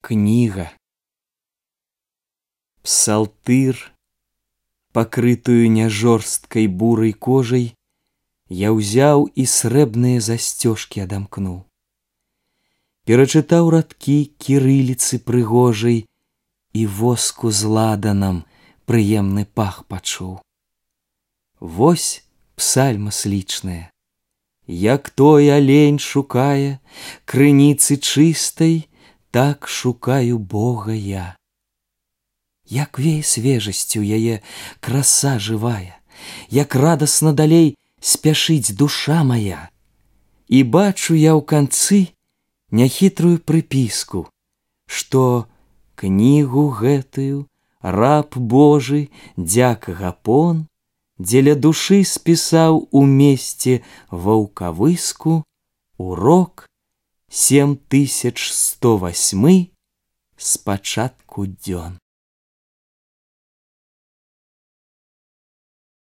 Книга. Псалтыр, пакрытую няжорсткай бурай кожай, я ўзяў і срэбныя засцёжкі адамкнуў. Перачытаў радкі кірыліцы прыгожай і воску з ладанам прыемны пах пачуў. Вось псальма слічная, як той алень шукае крыніцы чыстай, так шукаю Бога я. Як вее свежасцю яе краса жывая, як радасна далей спяшыць душа моя. І бачу я ў канцы няхітрую прыпіску, што кнігу гэтую раб Божы дзяк Гапон дзеля душы спісаў у месце ваўкавыску урок 7108 з пачатку дзён.